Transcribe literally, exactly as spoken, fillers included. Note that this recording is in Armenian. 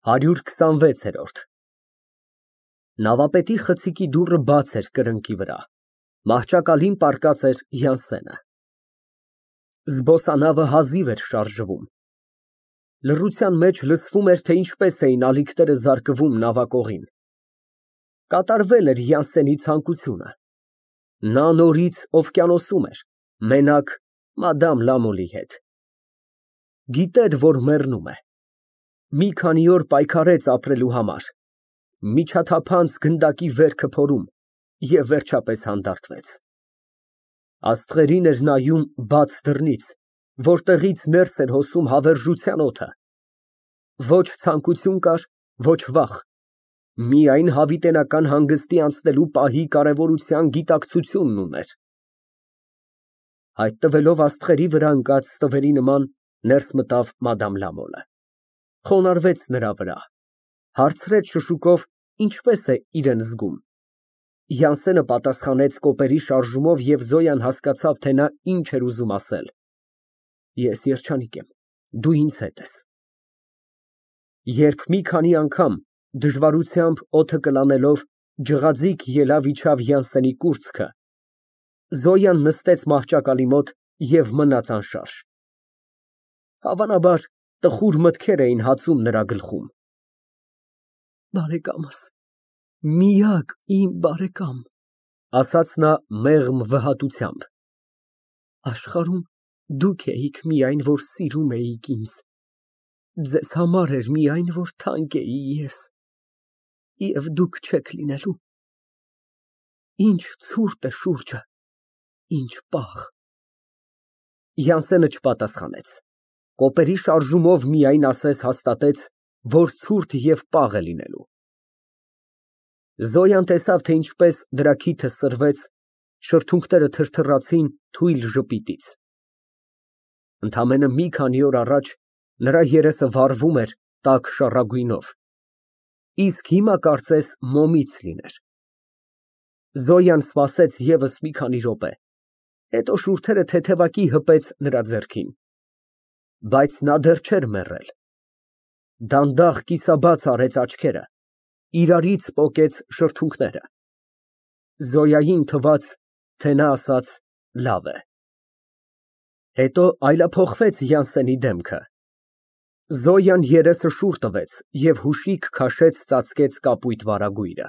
հարյուր քսանվեցերորդ Նավապետի խցիկի դուռը բաց էր կրկնակի վրա, մահճակալին պառկած էր Յանսենը։ Զբոսանավը հազիվ էր շարժվում։ Լռության մեջ լսվում էր, թե ինչպես էին ալիքները զարկվում նավակողին։ Կատարվել էր Յանսենի ցանկությունը։ Նա նորից օվկիանոսում էր, մենակ մադամ Լամոլի հետ։ Գիտեր, որ մեռնում է։ Մի քանի օր պայքարեց ապրելու համար, միջաթափանց գնդակի վերքը փորում և վերջապես հանդարտվեց։ Աստղերին էր նայում բաց դռնից, որտեղից ներս էր հոսում հավերժության օդը։ Ոչ ցանկություն կար, ոչ վախ, միայն հավիտենական հանգստի անցնելու պահի կարևորության գիտակցությունն ուներ։ Հայտնվելով աստղերի վրա ընկած ստվերի նման, ներս մտավ մադամ Լամոլը, խոնարհվեց նրա վրա, հարցրեց շշուկով ինչպես է իրեն զգում։ Յանսենը պատասխանեց կոպերի շարժումով և Զոյան հասկացավ, թե նա ինչ էր ուզում ասել։ Ես երջանիկ եմ, դու ինձ հետ ես։ Երբ մի քանի անգամ դժվարությամբ օդը կլանելով ջղաձիգ ելավ իջավ Յանսենի կուրծքը, Զոյան նստեց մահճակալի մոտ և մնաց անշարժ։ Հավանաբար, տխուր մտքեր էին հացում նրա գլխում։ Բարեկամս, միակ իմ բարեկամ, ասաց նա մեղմ վհատությամբ, աշխարհում դուք էիք միայն, որ սիրում էիք ինձ, ձեզ համար էր միայն, որ թանկ էի ես, և դուք չեք լինելու, ինչ ցուրտ է շուրջը, ինչ պաղ։ Յանսենը չպատասխանեց, կոպերի շարժումով միայն ասես հաստատեց, որ ցուրտ և պաղ է լինելու։ Զոյան տեսավ, թե ինչպես նրա քիթը սրվեց, շրթունքները թրթռացին թույլ ժպիտից։ Ընդամենը մի քանի օր առաջ նրա երեսը վառվում էր տաք շառագույնով, իսկ հիմա կարծես մոմից լիներ։ Զոյան սպասեց ևս մի քանի րոպե, հետո շուրթերը թեթևակի հպեց նրա ձեռքին, բայց նա դեռ չէր մեռել։ Դանդաղ կիսաբաց արեց աչքերը, իրարից պոկեց շրթունքները։ Զոյային թվաց, թե նա ասաց լավ է։ Հետո այլափոխվեց Յանսենի դեմքը։ Զոյան երեսը շուռ տվեց և հուշիկ քաշեց ծածկեց կապույտ վարագույրը։